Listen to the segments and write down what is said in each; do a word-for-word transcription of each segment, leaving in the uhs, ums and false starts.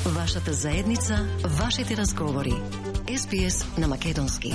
Вашата заедница, вашите разговори. Ес Би Ес на македонски.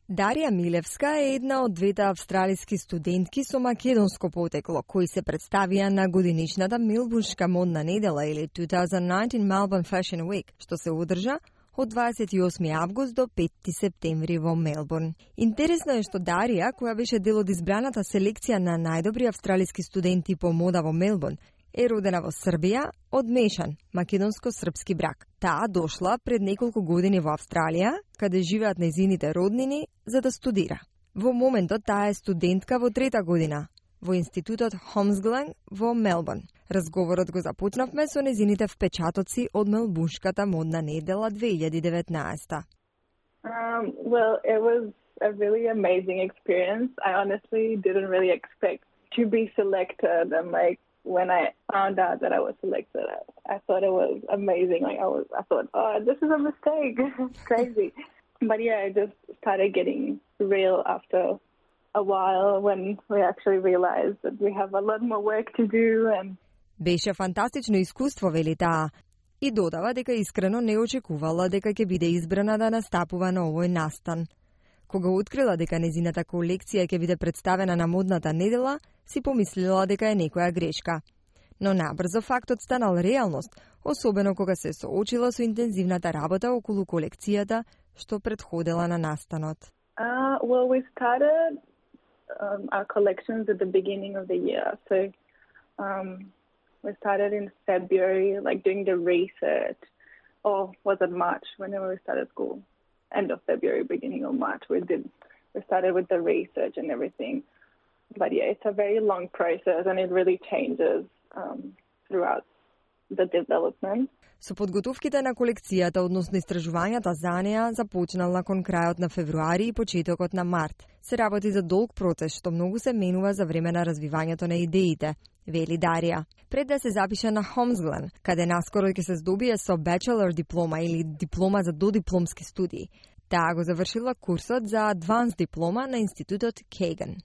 Дарија Милевска е една од двете австралиски студентки со македонско потекло, кои се представија на годиничната Мелбурншка модна недела или две тисачи и денаесет Melbourne Fashion Week, што се одржа од дваесет и осми август до петти септември во Мелбурн. Интересно е што Дарија, која беше дел од избраната селекција на најдобри австралиски студенти по мода во Мелбурн, е родена во Србија од мешан македонско-српски брак. Таа дошла пред неколку години во Австралија, каде живеат нејзините роднини, за да студира. Во моментот таа е студентка во трета година во институтот Holmes во Мелбурн. Разговорот го започнавме со нејзините впечатоци од Мелбурншката модна недела две илјади и деветнаесета. Um, well, it was a really amazing experience. I honestly didn't really expect to be selected, and like when I found out that I was selected, I, I thought it was amazing. Like I was, I thought, oh, this is a mistake. It's crazy. But yeah, I just started getting real after a while when we actually realized that we have a lot more work to do. And Беше фантастично искуство, вели таа, и додава дека искрено не очекувала дека ќе биде избрана да настапува на овој настан. Кога открила дека незината колекција ќе биде представена на модната недела, си помислила дека е некоја грешка. Но набрзо фактот станал реалност, особено кога се соочила со интензивната работа околу колекцијата што предходела на настанот. Uh, well, we started um, our collections at the beginning of the year. So um, we started in February, like doing the research, or was it March, whenever we started school? End of February, beginning of March, we did. We started with the research and everything. But yeah, it's a very long process and it really changes um, throughout the development. Со подготовките на колекцијата, односно истражувањата за неа, започнал након крајот на февруари и почетокот на март. Се работи за долг процес што многу се менува за време на развивањето на идеите, вели Дарија. Пред да се запише на Holmes, каде наскоро ќе се здобие со bachelor диплома или диплома за додипломски студии, таа го завршила курсот за advanced диплома на институтот Kagan.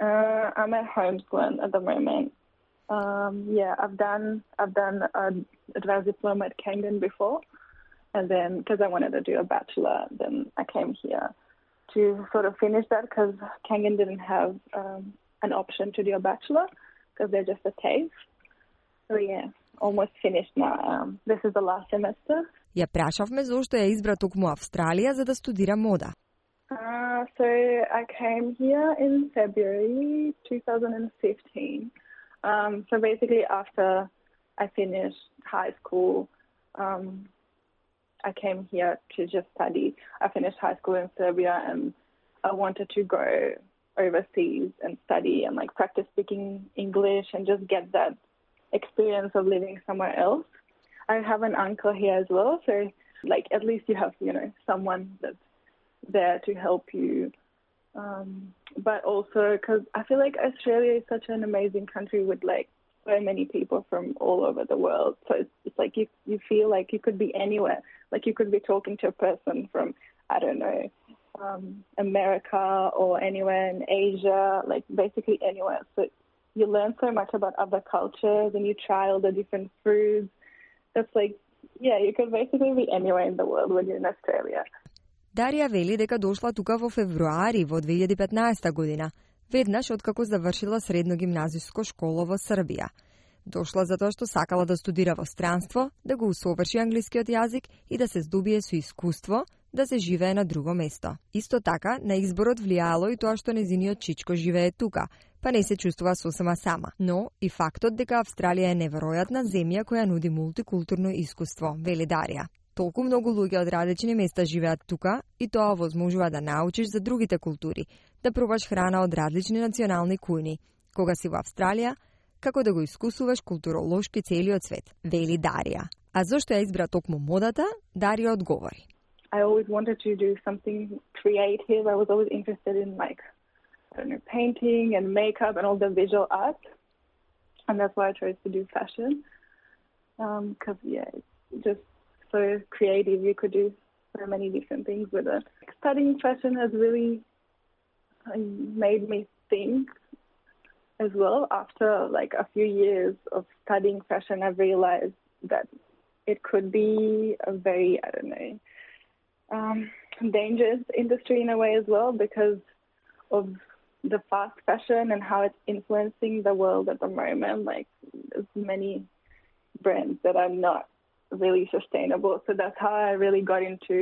Uh, I'm at Holmes at the moment. Um, yeah, I've done I've done an advanced diploma at Kangan before, and then because I wanted to do a bachelor, then I came here to sort of finish that because Kangan didn't have um, an option to do a bachelor because they're just a TAFE. So yeah, almost finished now. Um, this is the last semester. Ја прашавме зошто ја избра токму Австралија за да студира мода. Uh, so I came here in February twenty fifteen. Um, so basically after I finished high school, um, I came here to just study. I finished high school in Serbia and I wanted to go overseas and study and like practice speaking English and just get that experience of living somewhere else. I have an uncle here as well, so like at least you have, you know, someone that's there to help you. Um, but also because I feel like Australia is such an amazing country with like so many people from all over the world. So it's, it's like you you feel like you could be anywhere. Like you could be talking to a person from, I don't know, um, America or anywhere in Asia, like basically anywhere. So you learn so much about other cultures and you try all the different foods. It's like, yeah, you could basically be anywhere in the world when you're in Australia. Дарија вели дека дошла тука во февруари во две илјади и петнаесета година, веднаш откако завршила средно гимназиско школа во Србија. Дошла затоа што сакала да студира во странство, да го усоврши англискиот јазик и да се здобие со искуство да се живее на друго место. Исто така, на изборот влијало и тоа што нејзиниот чичко живее тука, па не се чувствува сосема сама. Но и фактот дека Австралија е неверојатна земја која нуди мултикултурно искуство, вели Дарија. Толку многу луѓе од различни места живеат тука и тоа возможува да научиш за другите култури, да пробаш храна од различни национални кујни, кога си во Австралија, како да го искусуваш културолошки целиот свет, вели Дарија. А зошто ја избра токму модата, Дарија одговори. I always wanted to do something creative. I was always interested in like, I don't know, painting and makeup and all the visual art. And that's why I chose to do fashion. Because, um, yeah, it's just so creative. You could do so many different things with it. Studying fashion has really made me think as well. After like a few years of studying fashion, I realized that it could be a very, I don't know, um, dangerous industry in a way as well, because of the fast fashion and how it's influencing the world at the moment. Like, there's many brands that are not really sustainable. So that's how I really got into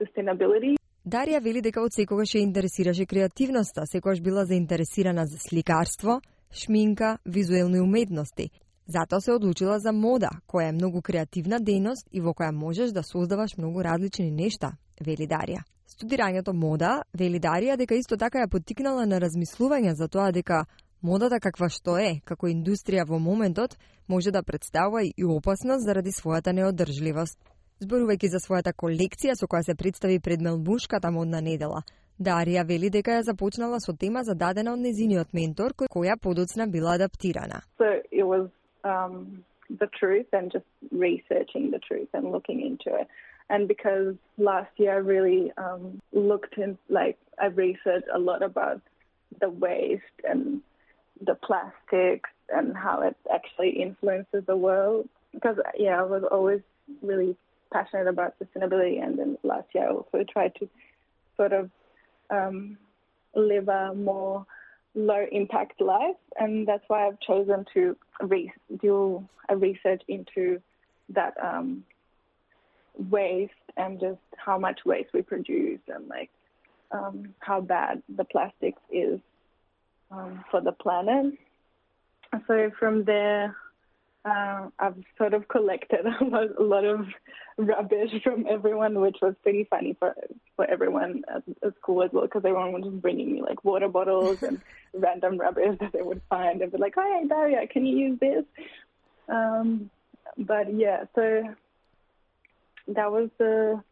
sustainability. Дарија вели дека од секогаш ја интересираше креативноста, секогаш била заинтересирана за сликарство, шминка, визуелни уметности. Затоа се одлучила за мода, која е многу креативна дејност и во која можеш да создаваш многу различни нешта, вели Дарија. Студирањето мода, вели Дарија, дека исто така ја поттикнала на размислување за тоа дека модата каква што е, како индустрија во моментот, може да представува и опасност заради својата неодржливост. Зборувајќи за својата колекција со која се представи пред Мелбурнската модна недела, Дарија вели дека ја започнала со тема зададена од незиниот ментор, која подоцна била адаптирана. So it was um, the truth and just researching the truth and looking into it. And because last year I really um, looked in, like, I researched a lot about the waste and the plastics and how it actually influences the world. Because, yeah, I was always really passionate about sustainability, and then last year I also tried to sort of um, live a more low-impact life, and that's why I've chosen to re- do a research into that um, waste and just how much waste we produce and like um, how bad the plastics is um, for the planet. So from there, uh, I've sort of collected a lot, a lot of rubbish from everyone, which was pretty funny for for everyone at, at school as well, because everyone was just bringing me like water bottles and random rubbish that they would find. They'd be like, "Hey, Daria, can you use this?" Um, but yeah, so that was the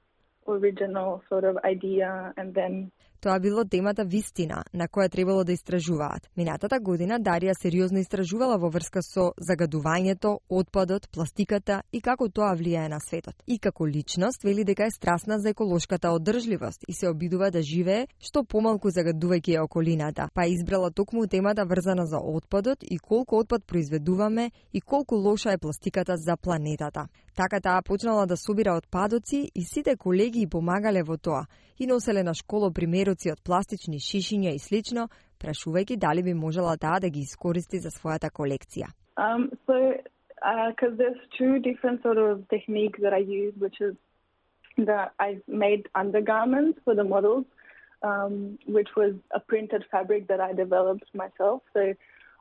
original sort of idea, and then Тоа било темата вистина, на која требало да истражуваат. Минатата година Дарија сериозно истражувала во врска со загадувањето, отпадот, пластиката и како тоа влијае на светот. И како личност вели дека е страстна за еколошката одржливост и се обидува да живее што помалку загадувајќи ја околината, па избрала токму темата врзана за отпадот и колку отпад произведуваме и колку лоша е пластиката за планетата. Така таа почнала да собира отпадоци и сите колеги и помагале во тоа и носеле на школо примероци од пластични шишиња и слично, прашувајќи дали би можела таа да ги искористи за својата колекција. Um, so, because uh, there's two different sort of techniques that I use, which is that I made undergarments for the models, um, which was a printed fabric that I developed myself. So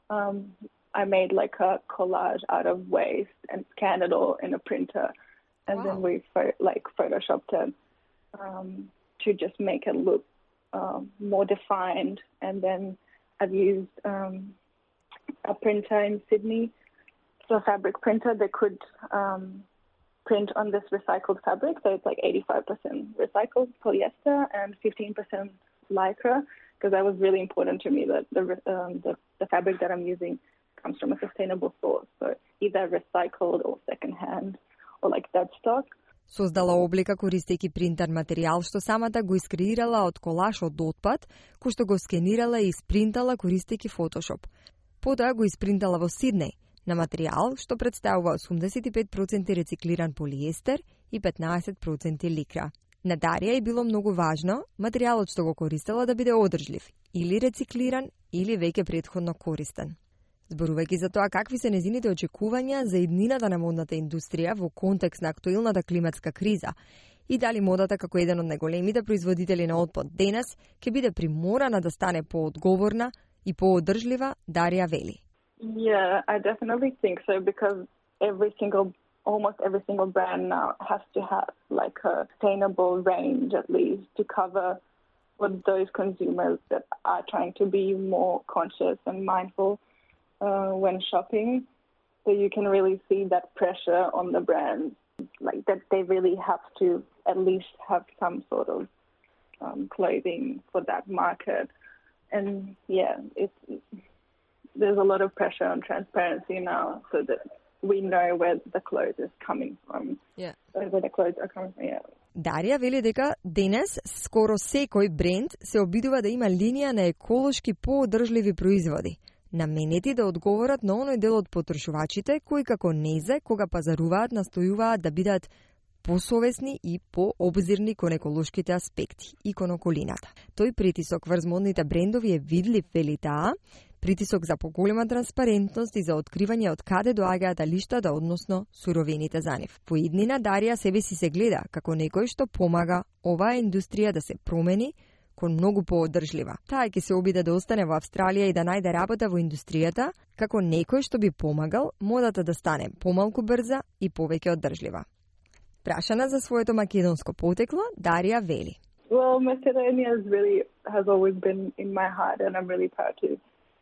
um, I made like a collage out of waste and scanned it all in a printer, and wow. then we pho- like photoshopped it um, to just make it look um, more defined. And then I've used um, a printer in Sydney, so a fabric printer that could um, print on this recycled fabric. So it's like eighty-five percent recycled polyester and fifteen percent lycra, because that was really important to me that the, um, the the fabric that I'm using comes from a sustainable source, so either recycled or second-hand or like dead stock. Создала облика користејќи принтер материјал што самата го искреирала од колаж од отпад, кој што го скенирала и испринтала користејќи Photoshop. Потоа го испринтала во Сиднеј на материјал што представува осумдесет и пет проценти рециклиран полиестер и петнаесет проценти ликра. На Дарија е било многу важно материјалот што го користела да биде одржлив, или рециклиран, или веќе претходно користен. Зборувајќи за тоа какви се незините очекувања за иднината на модната индустрија во контекст на актуелната климатска криза и дали модата како еден од најголемите производители на отпад денес ќе биде приморана да стане поодговорна и поодржлива, Дарија вели. Yeah, I definitely think so, because every single, almost every single brand now has to have like a sustainable range at least to cover for those consumers that are trying to be more conscious and mindful Uh, when shopping. So you can really see that pressure on the brands, like that they really have to at least have some sort of um, clothing for that market. And yeah, it's, there's a lot of pressure on transparency now, so that we know where the clothes is coming from. Yeah. Where the clothes are coming from, yeah. Дарија вели дека денес скоро секој бренд се обидува да има линија на еколошки поодржливи производи. наменети да одговорат на оној дел од потрошувачите кои како незе кога пазаруваат настојуваат да бидат посовесни и пообзирни кон еколошките аспекти и кон околината. Тој притисок врз модните брендови е видлив, вели таа, притисок за поголема транспарентност и за откривање од каде доаѓаат алиштата, односно суровините за нив. По иднина Дарија себе си се гледа како некој што помага оваа индустрија да се промени кон многу поодржлива. Таа ќе се обиде да остане во Австралија и да најде работа во индустријата како некој што би помагал модата да стане помалку брза и повеќе одржлива. Прашана за своето македонско потекло, Дарија вели. Well, Macedonia is really has always been in my heart, and I'm really proud to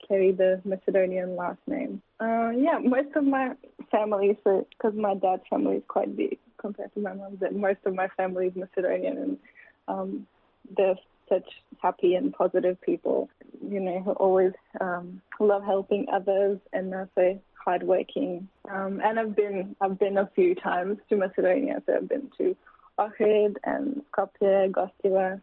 carry the Macedonian last name. Uh, yeah, most of my family, so because my dad's family is quite big compared to my mom's, and most of my family is Macedonian, and um, they're such happy and positive people, you know, who always um, love helping others and are so hardworking. Um, and I've been I've been a few times to Macedonia, so I've been to Ohrid and Skopje, Gostivar,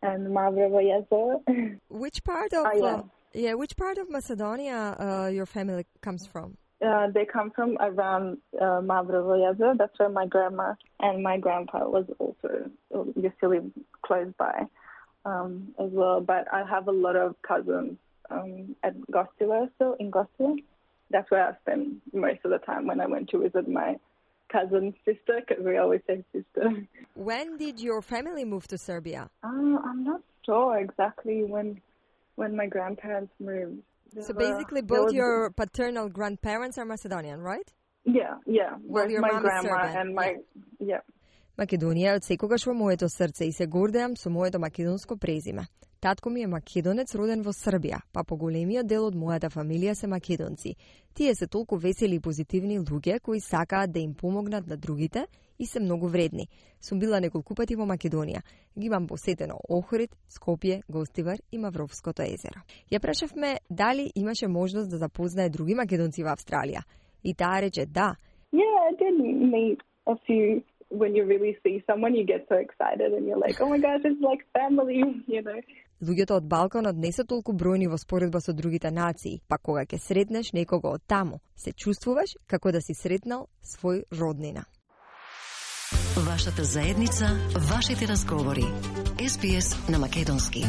and Mavrovo Jezo. Which part of oh, yeah. uh, yeah, which part of Macedonia uh, your family comes from? Uh, they come from around uh, Mavrovo Jezo. That's where my grandma and my grandpa was also used to live close by um, as well. But I have a lot of cousins um, at Gostivar, so in Gostivar. That's where I spend most of the time when I went to visit my cousin's sister, because we always say sister. When did your family move to Serbia? Uh, I'm not sure exactly when when my grandparents moved. So There basically were- both there was- your paternal grandparents are Macedonian, right? Yeah, yeah. Well, Both your my mom is grandma Serbian, and my... Yeah. Македонија е од секогаш во моето срце и се гордеам со моето македонско презиме. Татко ми е македонец роден во Србија, па поголемиот дел од мојата фамилија се македонци. Тие се толку весели и позитивни луѓе кои сакаат да им помогнат на другите и се многу вредни. Сум била неколку пати во Македонија. Ги имам посетено Охрид, Скопје, Гостивар и Мавровското езеро. Ја прашавме дали имаше можност да запознае други македонци во Австралија. И таа рече да. Yeah, I did meet a few. When you really see someone, you get so excited and you're like, oh my gosh, it's like family, you know. Луѓето од Балканот не се толку бројни во споредба со другите нации, па кога ќе сретнеш некого од таму, се чувствуваш како да си сретнал свој роднина. Вашата заедница, вашите разговори. Ес Би Ес на македонски.